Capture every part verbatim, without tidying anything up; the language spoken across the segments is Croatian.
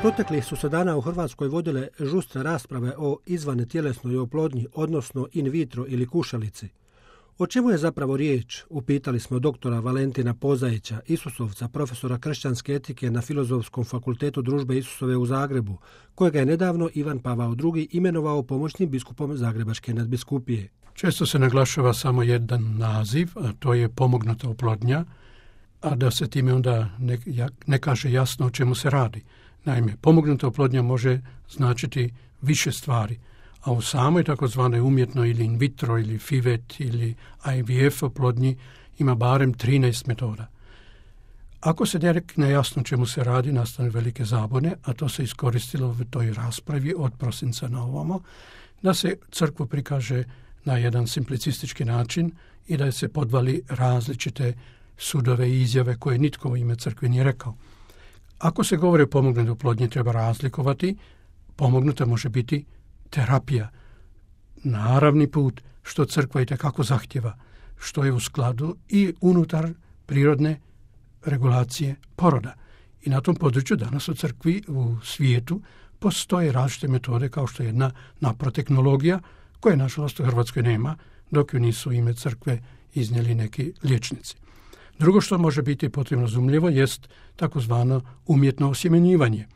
Proteklih su se dana u Hrvatskoj vodile žustre rasprave o izvantjelesnoj oplodnji, odnosno in vitro ili kušalici. O čemu je zapravo riječ? Upitali smo doktora Valentina Pozajića, Isusovca, profesora kršćanske etike na Filozofskom fakultetu Družbe Isusove u Zagrebu, kojega je nedavno Ivan Pavao drugi imenovao pomoćnim biskupom Zagrebačke nadbiskupije. Često se naglašava samo jedan naziv, a to je pomognuta oplodnja, a da se time onda ne, ne kaže jasno o čemu se radi. Naime, pomognuta oplodnja može značiti više stvari, a u samoj takozvanoj umjetnoj ili in vitro ili fivet ili I V F oplodnji ima barem trinaest metoda. Ako se ne rekne jasno čemu se radi, nastane velike zabune, a to se iskoristilo u toj raspravi od prosinca na ovamo, da se crkvu prikaže na jedan simplicistički način i da se podvali različite sudove i izjave koje nitko u ime crkve nije rekao. Ako se govori o pomognutoj oplodnji, treba razlikovati. Pomognuta može biti terapija, naravni put, što crkva itekako zahtjeva, što je u skladu i unutar prirodne regulacije poroda. I na tom području danas u crkvi, u svijetu, postoje različite metode kao što je jedna naprotehnologija, koje nažalost u Hrvatskoj nema, dok ju nisu ime crkve iznijeli neki liječnici. Drugo što može biti potrebno razumljivo jest takozvano umjetno osjemenjivanje,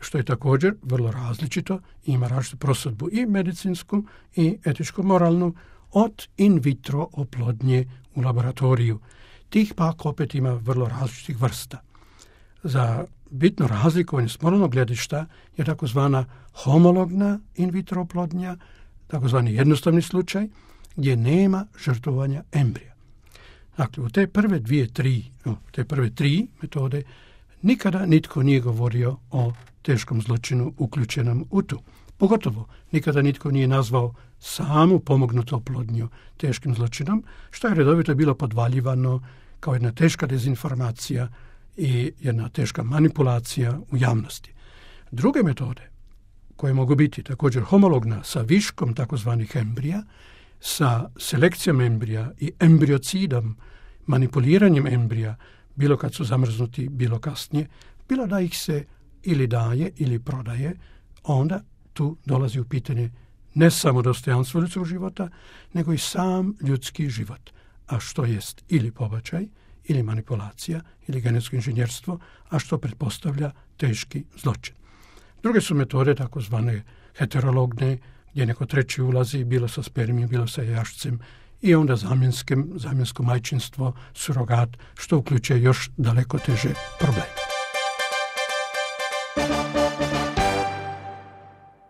što je također vrlo različito i ima različitu prosudbu i medicinsku i etičko-moralnu od in vitro oplodnje u laboratoriju. Tih pak opet ima vrlo različitih vrsta. Za bitno razlikovanje s moralnog gledišta je takozvana homologna in vitro oplodnja, takozvani jednostavni slučaj gdje nema žrtvovanja embrija. Dakle, u te prve dvije, tri, no, te prve tri metode nikada nitko nije govorio o teškom zločinu uključenom u tu. Pogotovo nikada nitko nije nazvao samu pomognutu oplodnju teškim zločinom, što je redovito bilo podvaljivano kao jedna teška dezinformacija i jedna teška manipulacija u javnosti. Druge metode, koje mogu biti također homologna sa viškom takozvanih embrija, sa selekcijom embrija i embriocidom, manipuliranjem embrija, bilo kad su zamrznuti, bilo kasnije, bilo da ih se ili daje ili prodaje, onda tu dolazi u pitanje ne samo dostojanstvo ljudskog života, nego i sam ljudski život. A što jest ili pobačaj, ili manipulacija, ili genetsko inženjerstvo, a što pretpostavlja teški zločin. Druge su metode takozvane heterologne, gdje neko treći ulazi, bilo sa spermijom, bilo sa jašcem, i onda zamjensko majčinstvo, surogat, što uključuje još daleko teže probleme.